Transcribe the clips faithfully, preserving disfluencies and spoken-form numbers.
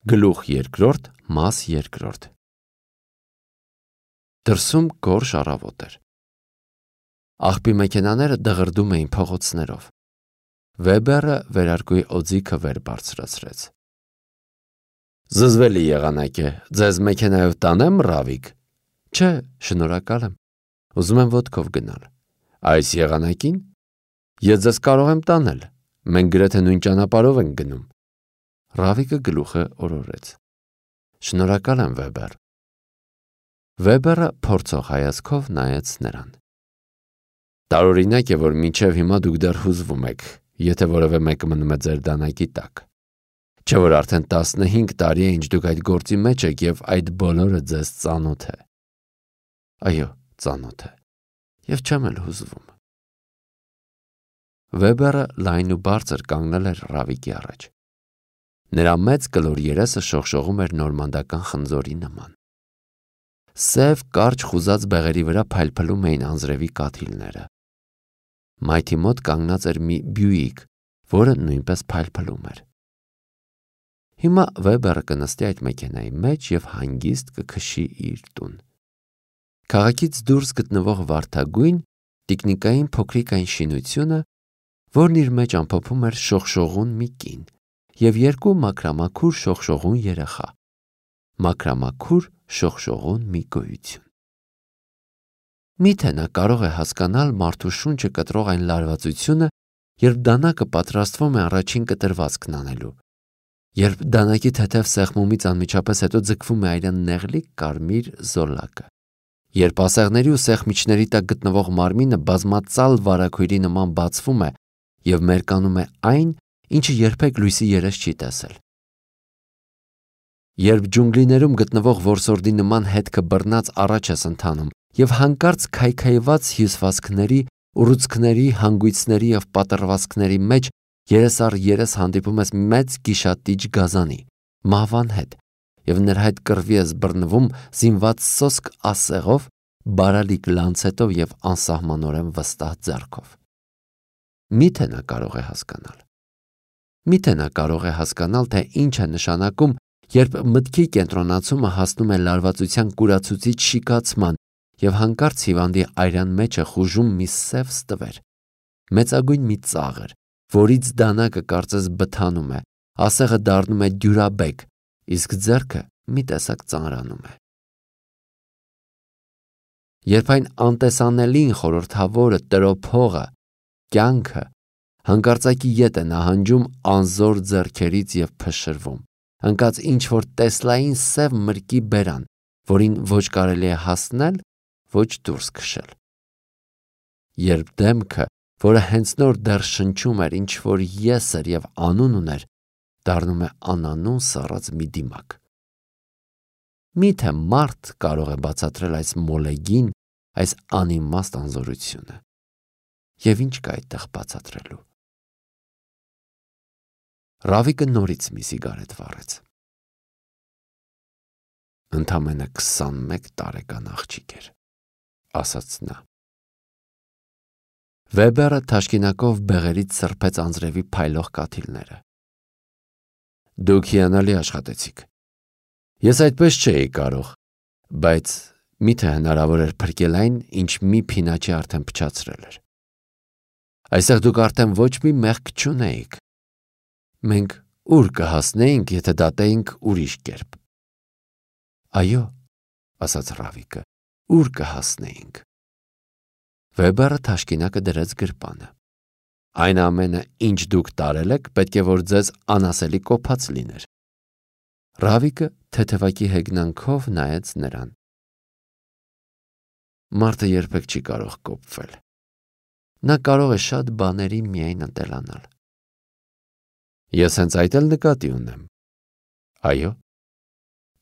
Գլուխ երկրորդ, մաս երկրորդ։ Դրսում գորշ առավոտ էր։ Աղբի մեքենաները դղրդում էին փողոցներով։ Վեբերը վերարկուի օձիքը վեր բարձրացրեց։ Զզվելի եղանակ է, ձեզ մեքենայով տանեմ, Ռավիկ։ Չէ, շնորհակալ եմ, ուզում եմ ոտքով գնալ։ Այս եղանակին ես ձեզ կարող եմ տանել, մենք գրեթե նույն ճանապարհով ենք գնում։ Ռավիկը գլուխը օրորեց։ Շնորհակալ եմ, Վեբեր։ Վեբերը փորձող հայացքով նայեց նրան։ Տարօրինակ է, որ մինչև հիմա դուք դեռ հուզվում եք, եթե որևէ մեկը մնում է ձեր դանակի տակ։ Չէ՞ որ արդեն տասնհինգ տարի է, ինչ դուք այդ գործի մեջ եք և այդ բոլորը ձեզ ծանոթ է։ Այո, ծանոթ է, և չեմ էլ հուզվում։ Վեբերը լայն ու բարձր կանգնել էր Ռավիկի առաջ։ Նրա մեծ կլոր երեսը շողշողում էր նորմանդական խնձորի նման։ Սև կարճ խուզած բեղերի վրա փայլփլում էին անձրևի կաթիլները։ Մայթի մոտ կանգնած էր մի Բյուիկ, որը նույնպես փայլփլում էր։ Հիմա Վեբերը կնստի այդ մեքենայի մեջ և հանգիստ կքշի իր տուն։ Քաղաքից դուրս գտնվող վարդագույն տիկնիկային փոքրիկ այն շինությունը, որն իր մեջ ամփոփում էր շողշողուն մի կին և երկու մաքրամաքուր շողշողուն երեխա, մաքրամաքուր շողշողուն մի գոյություն։ Միթե նա կարող է հասկանալ մարդու շունչը կտրող այն լարվածությունը, երբ դանակը պատրաստվում է առաջին կտրվածքն անելու, երբ դանակի թեթև սեղմումից անմիջապես հետո ձգվում է այրան նեղլիկ կարմիր զոլակը, երբ ասեղների ու սեղմիչների տակ գտնվող մարմինը բազմածալ վարագույրի նման բացվում է և մերկանում է այն, ինչը երբեք լույսի երես չի տեսել։ Երբ ջունգլիներում գտնվող որսորդի նման հետքը բռնած առաջ ես ընթանում և հանկարծ քայքայված հյուսվածքների, ուռուցքների, հանգույցների և պատռվածքների մեջ երես առ երես հանդիպում ես մեծ գիշատիչ գազանի, մահվան հետ, և նրա հետ կռվի ես բռնվում զինված սոսկ ասեղով, բարալիկ լանցետով և անսահմանորեն վստահ ձեռքով։ Միթե նա կարող է հասկանալ։ Միթե նա կարող է հասկանալ, թե ինչ է նշանակում, երբ մտքի կենտրոնացումը հասնում է լարվածության կուրացուցիչ շիկացման և հանկարծ հիվանդի այրան մեջ է խուժում մի սև ստվեր, մեծագույն մի ծաղր, որից դանակը կարծես բթանում է, ասեղը դառնում է դյուրաբեկ, իսկ ձեռքը մի տեսակ ծանրանում է։ Երբ այն անտեսանելին խորհրդավորը, տրոփողը, կյանքը հանկարծակի ետ է նահանջում անզոր ձեռքերից և փշրվում, ընկած ինչ-որ տեսլային սև մրգի բերան, որին ոչ կարելի է հասնել, ոչ դուրս քշել։ Երբ դեմքը, որը հենց նոր դեռ շնչում էր ինչ-որ ես էր և անուն ուներ, դառնում է անանուն սառած մի դիմակ։ Միթե մարդ կարող է բացատրել այս մոլեգին, այս անիմաստ անզորությունը։ Եվ ինչ կա այդտեղ բացատրելու։ Ռավիկը նորից մի սիգարետ վառեց։ Ընդամենը քսանմեկ տարեկան աղջիկ էր, ասաց նա։ Վեբերը թաշկինակով բեղերից սրբեց անձրևի փայլող կաթիլները։ Դուք հիանալի աշխատեցիք։ Ես այդպես չէի կարող, բայց միթե հնարավոր էր փրկել այն, ինչ մի փինաչի արդեն փչացրել էր։ Այստեղ դուք արդեն ոչ մի մեղք չունեիք։ Մենք ուր կհասնեինք, եթե դատեինք ուրիշ կերպ։ Այո, ասաց Ռավիկը, ուր կհասնեինք։ Վեբերը թաշկինակը դրեց գրպանը։ Այն ամենը, ինչ դուք տարել եք, պետք է որ ձեզ անասելի կոփած լիներ։ Ռավիկը թեթևակի հեգնանքով նայեց նրան։ Մարդը երբեք չի կարող կոփվել։ Նա կարող է շատ բաների միայն ընտելանալ։ Ես հենց այդ էլ նկատի ունեմ։ Այո,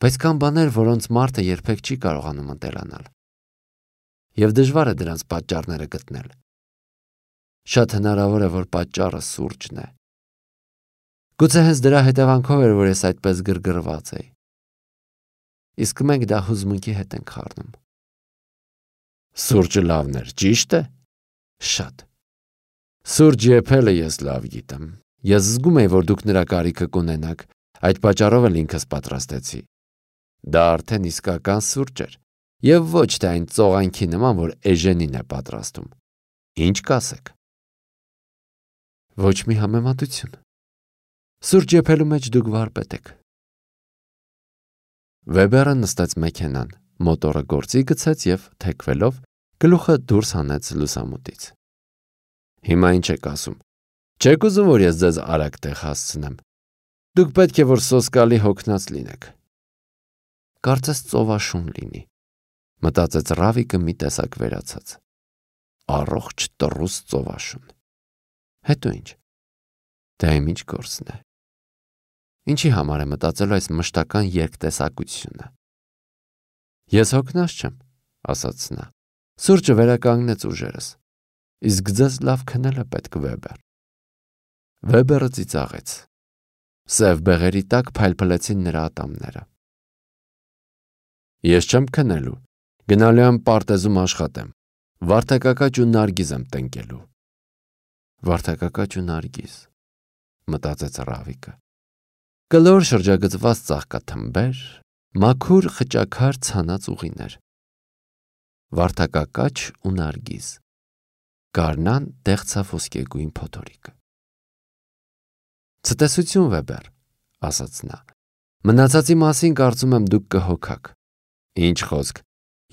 բայց կան բաներ, որոնց մարդը երբեք չի կարողանում ընտելանալ։ Եվ դժվար է դրանց պատճառները գտնել։ Շատ հնարավոր է, որ պատճառը սուրճն է։ Գուցե հենց դրա հետևանքով էր, որ ես այդպես գրգռված էի։ Իսկ մենք դա հուզմունքի հետ ենք խառնում։ Սուրճը լավն էր, ճիշտ է։ Շատ։ Սուրճ եփելը ես լավ գիտեմ։ Ես զգում էի, որ դուք նրա կարիքը կունենաք, Այդ պատճառով էլ ինքս պատրաստեցի։ Դա արդեն իսկական սուրճ էր, եւ ոչ թե այն ծողանքի նման, որ Էժենին է պատրաստում։ Ինչ կասեք։ Ոչ մի համեմատություն։ Սուրճ եփելու մեջ դուք վարպետ եք։ Վեբերը նստեց մեքենան, մոտորը գործի գցեց եւ թեքվելով գլուխը դուրս հանեց լուսամուտից։ Հիմա ինչ եք ասում։ Չեք ուզում, որ ես ձեզ արագ տեղ հասցնեմ։ Դուք պետք է որ սոսկալի հոգնած լինեք։ Կարծես ծովաշուն լինի, մտածեց Ռավիկը մի տեսակ վերացած։ Առողջ տռուս ծովաշուն։ Հետո ինչ։ Դա իմ ինչ գործն է։ Ինչի համար է մտածելու այս մշտական երկտեսակությունը։ Ես հոգնած չեմ, ասաց նա։ Սուրճը վերականգնեց ուժերս։ Իսկ ձեզ լավ քնել է պետք, Վեբեր։ Վեբերը ծիծաղեց։ Սև բեղերի տակ փայլփլեցին նրա ատամները։ Ես չեմ քնելու, գնալու եմ պարտեզում աշխատեմ, վարդակակաճ ու նարգիզ եմ տնկելու։ Վարդակակաճ ու նարգիզ, մտածեց Ռավիկը։ Կլոր շրջագծված ծաղկաթմբեր, մաքուր խճաքար ցանած ուղիներ։ Վարդակակաճ ու նարգիզ, գարնան դեղցավ ոսկեգույն փոթորիկը։ Ցտեսություն, Վեբեր, ասաց նա։ Մնացածի մասին կարծում եմ դուք կհոգաք։ Ինչ խոսք,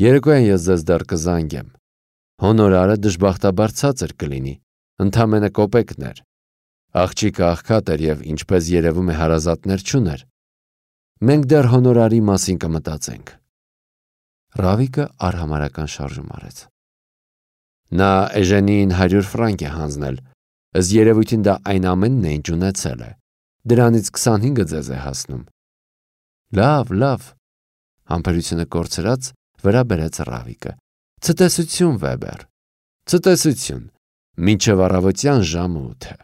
երեկոյան ես ձեզ դեռ կզանգեմ։ Հոնորարը դժբախտաբար ցածր կլինի, ընդամենը կոպեկներ։ Աղջիկը աղքատ էր եւ ինչպես երևում է հարազատներ չուներ։ Մենք դեռ հոնորարի մասին կմտածենք։ Ռավիկը արհամարական շարժում արեց։ Նա Էժենին հարյուր ֆրանկ է հանձնել, ըստ երևույթին դա այն ամենն է, ինչ ունեցել է։ Դրանից քսանհինգը ձեզ է հասնում։ Լավ, լավ, համբերությունը կորցրած վրա բերեց Ռավիկը։ Ցտեսություն, Վեբեր, ցտեսություն, մինչև առավոտյան ժամը ութը։